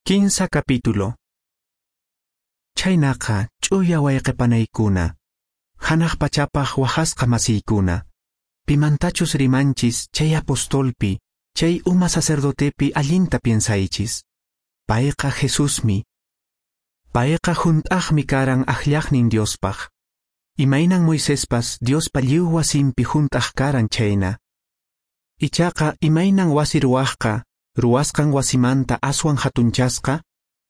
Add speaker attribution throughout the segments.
Speaker 1: Kinsa capítulo. Chhaynaqa ch'uya wayqe panaykuna, hanaq pachapaq wahasqa masiykuna, pimantachus rimanchis chay apostolpi, chay uma sacerdotepi allinta piensaychis. Payqa Jesusmi. Payqa hunt'aqmi karan akllaqnin Diospaq. Imaynan Moisespas Diospa lliw wasinpi hunt'aq karan chhayna. Ichaqa imaynan wasi ruwaqqa ruwasqan wasimanta aswan hatunchasqa,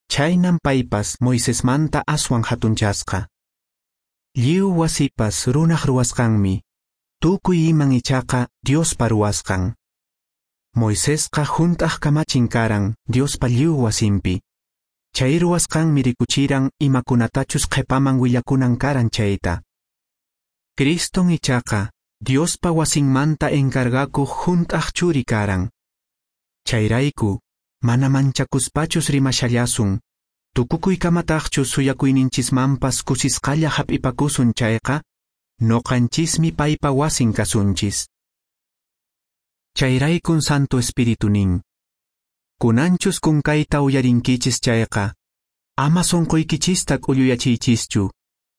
Speaker 1: chhaynan paypas Moisesmanta aswan hatunchasqa. Lliw wasipas runaq ruwasqanmi, tukuy iman ichaqa Diospa ruwasqan. Moisesqa hunt'aq kamachin karan Diospa lliw wasinpi. Chay ruwasqanmi rikuchiran imakunatachus qhipaman willakunan karan chayta. Criston ichaqa Diospa wasinmanta encargakuq hunt'aq churi karan. Chayrayku, mana manchakuspachus rimashallasun, tukukuykamataqchus suyakuyninchismanpas kusisqalla hap'ipakusun chayqa, noqanchismi paypa wasin kasunchis. Chayraykun Santo Espíritu nin: Kunanchus kunkayta uyarinkichis chayqa, ama sunquykichista k'ulluyachiychischu,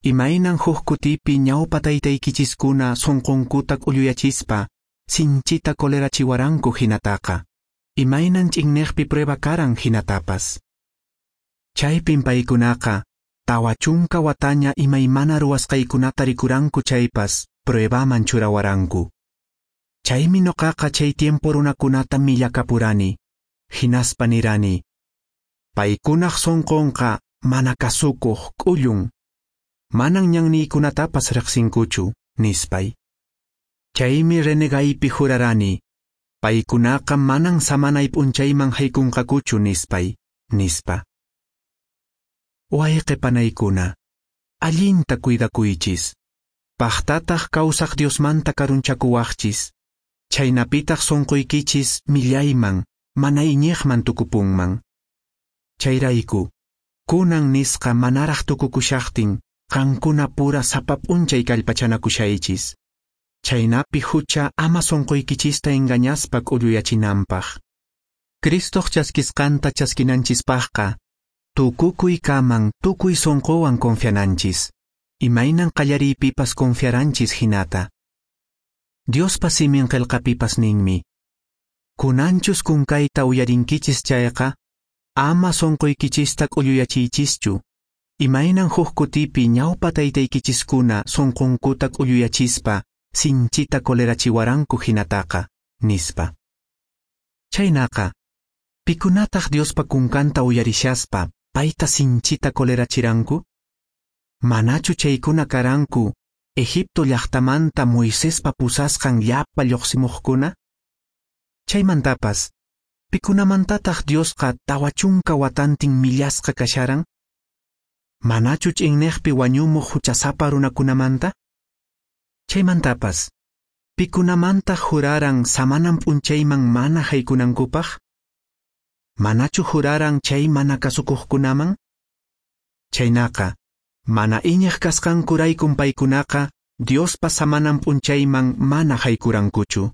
Speaker 1: imaynan huk kutipi ñawpa taytaykichiskuna sunqunkuta k'ulluyachispa, sinchita kolerachiwaranku hinataqa, imaynan ch'inneqpi prueba karan hinatapas. Chaypin paykunaqa, 40 wataña imaymana ruwasqaykunata rikuranku chaypas, pruebaman churawaranku. Chaymi noqaqa chay tiempo runakunata millakapurani, hinaspa nirani: Paykunaq sunqunqa mana kasukuq k'ullun, manan ñanniykunatapas riqsinkuchu, nispay. Chaymi renegaypi jurarani: Paykunaqa manan samanay p'unchayman haykunqakuchu, nispay, nispa. Wayqe panaykuna, allinta cuidakuychis, paqtataq kawsaq Diosmanta karunchakuwaqchis, chhaynapitaq sunquykichis millayman, mana iñiqman tukupunman. Chayrayku, kunan nisqa manaraq tukukushaqtin, qankuna pura sapa p'unchay kallpachanakushaychis. Chhaynapi hucha ama sunquykichista engañaspa k'ulluyachinanpaq. Cristoq chaskisqanta chaskinanchispaqqa, tukukuy kaman tukuy sunquwan confiananchis, imaynan qallariypipas confiaranchis hinata. Diospa simin qillqapipas ninmi: Kunanchus kunkayta uyarinkichis chayqa, ama sunquykichista k'ulluyachiychischu, imaynan huk kutipi ñawpa taytaykichiskuna sunqunkuta k'ulluyachispa sinchita kolerachiwaranku hinataqa, nispa. Chhaynaqa, pikunataq Diospa kunkanta uyarishaspa payta sinchita kolerachiranku? Manachu chaykuna karanku Egipto llaqtamanta Moisespa pusasqan llapa lluqsimuqkuna? Chaymantapas, pikunamantataq Diosqa 40 watantin millasqa kasharan? Manachu ch'inneqpi wañumuq huchasapa runakunamanta? Chaymantapas, pikunamantaq juraran samanan p'unchayman mana haykunankupaq? Manachu juraran chay mana kasukuqkunaman? Chhaynaqa, mana iñiq kasqankuraykum paykunaqa Diospa samanan p'unchayman mana haykurankuchu.